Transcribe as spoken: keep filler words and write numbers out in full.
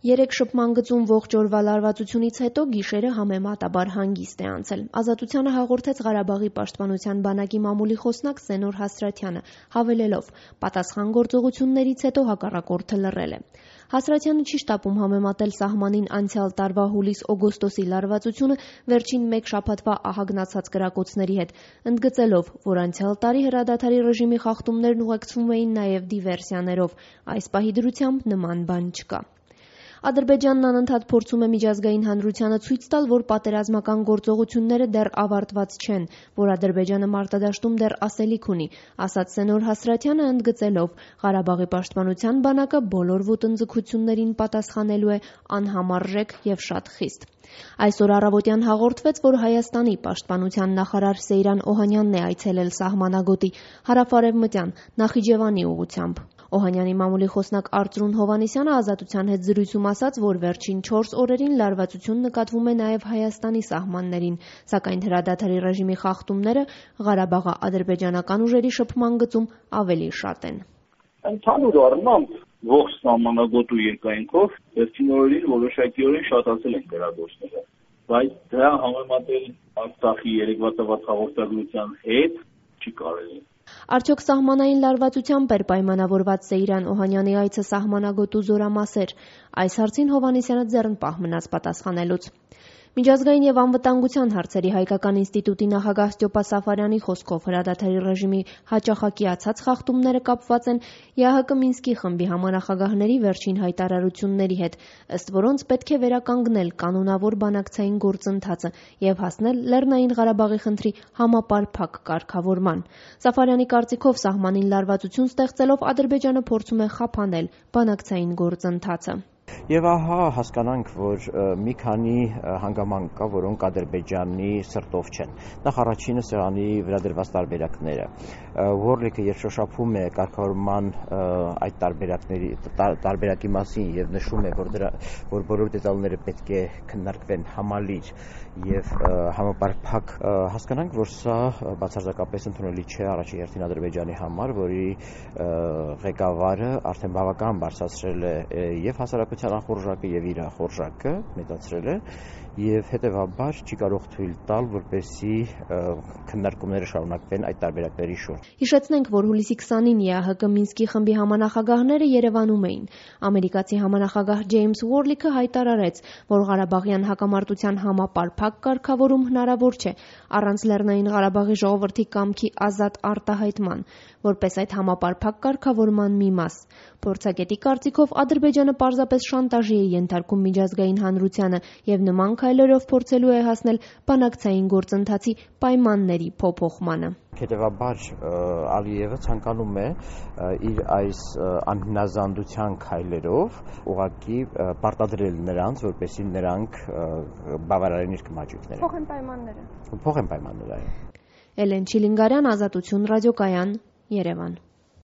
Երեք շփման գծում ողջ օրվա լարվածությունից հետո գիշերը համեմատաբար հանգիստ է անցել։ Ազատությանը հաղորդեց Ղարաբաղի պաշտպանության բանակի մամուլի խոսնակ Սենոր Հասրաթյանը, հավելելով՝ պատասխան գործողություններից հետո հակառակորդը լռել է։ Հասրաթյանը չի շտապում համեմատել սահմանին անցյալ տարվա հուլիս-օգոստոսի լարվածությունը վերջին մեկ շաբաթվա ահագնացած կրակոցների հետ, ընդգծելով, որ անցյալ տարի հրադադարի ռեժիմի խախտումներն ուղեկցվում էին նաև դիվերսիաներով։ Այս պահի դրությամբ նման բան չկա։ Ադրբեջանն անընդհատ փորձում է միջազգային հանրությանը ցույց տալ, որ պատերազմական գործողությունները դեռ ավարտված չեն, որ Ադրբեջանը մարտադաշտում դեռ ասելիք ունի, ասաց Սենոր Հասրաթյանը, ընդգծելով՝ Ղարաբաղի պաշտպանության բանակը բոլոր ոտնձգություններին պատասխանելու է անհամարժեք և շատ խիստ։ Այսօր առավոտյան հաղորդվեց, որ Հայաստանի պաշտպանության նախարար Սեյրան Օհանյանն է այցելել սահմանագոտի հարավ-արևմտյան Նախիջևանի ուղղությամբ։ Օհանյանի մամուլի խոսնակ Արծրուն Հովհաննիսյանը Ազատության հետ զրույցում ասաց, որ վերջին չորս օրերին լարվածություն նկատվում է նաև Հայաստանի սահմաններին, սակայն հրադադարի ռեժիմի խախտումները Ղարաբաղա-ադրբեջանական ուժերի շփման գծում ավելի շատ են։ Ընդհանուր առմամբ ողջ սահմանագոտու երկայնքով վերջին օրերին որոշակիորեն շատացել են կրակոցները, բայց դրա համեմատել Արցախի երեկվա տված հաղորդագրության հետ չի կարելի։ Արդյոք սահմանային լարվածությամբ էր պայմանավորված Սեյրան Օհանյանի այցը սահմանագոտու զորամասեր։ Այս հարցին Հովհաննիսյանը ձեռնպահ մնաց պատասխանելուց։ Միջազգային և անվտանգության հարցերի հայկական ինստիտուտի նախագահ Ստյոպա Սաֆարյանի խոսքով հրադադարի ռեժիմի հաճախակիացած խախտումները կապված են ԵԱՀԿ Մինսկի խմբի համանախագահների վերջին հայտարարությունների հետ, ըստ որոնց պետք է վերականգնել կանոնավոր բանակցային գործընթացը և հասնել Լեռնային Ղարաբաղի խնդրի համապարփակ կարգավորման։ Սաֆարյանի կարծիքով սահմանին լարվածություն ստեղծելով Ադրբեջանը փորձում է խափանել բանակցային գործընթացը։ Եվ ահա հասկանանք, որ մի քանի հանգամանք կա, որոնք Ադրբեջանի սրտով չեն։ Նախ առաջինը սեղանի վրա դրված տարբերակները։ Ուորլիկը երբ շոշափում է կարգավորման այդ տարբերակների տարբերակի մասին եւ նշում է, որ դրա որ բոլոր դետալները պետք է քննարկվեն համալիր եւ համապարփակ, հասկանանք, որ սա բացարձակապես ընդունելի չէ առաջին հերթին Ադրբեջանի համար, որի ղեկավարը արդեն բավական բարձրացրել է եւ հասարակության խորժակը եւ իր խորժակը մեծացրել է եւ հետեւաբար չի կարող թույլ տալ, որպեսզի քննարկումները շարունակվեն այդ տարբերակների շուրջ։ Հիշեցնենք, որ հուլիսի քսանին ԵԱՀԿ Մինսկի խմբի համանախագահները Երևանում էին։ Ամերիկացի համանախագահ Ջեյմս Ուորլիկը հայտարարեց, որ Ղարաբաղյան հակամարտության համապարփակ կարգավորում հնարավոր չէ առանց Լեռնային Ղարաբաղի ժողովրդի կամքի ազատ արտահայտման, որպես այդ համապարփակ կարգավորման մի մաս։ Փորձագետի կարծիքով Ադրբեջանը պարզապես շանտաժի է ենթարկում միջազգային հանրությանը եւ նման քայլերով փորձելու է հասնել բանակցային գործընթացի պայմանների փոփոխմանը։ Հետևաբար Ալիևը ցանկանում է իր այս անհնազանդության քայլերով ուղղակի պարտադրել նրանց, որպեսզի նրանք բավարարեն իր կմաճույքները։ Փոխեն պայմանները։ Փոխեն պայմանները։ Էլեն Չիլինգարյան, Ազատություն ռադիոկայան, Երևան։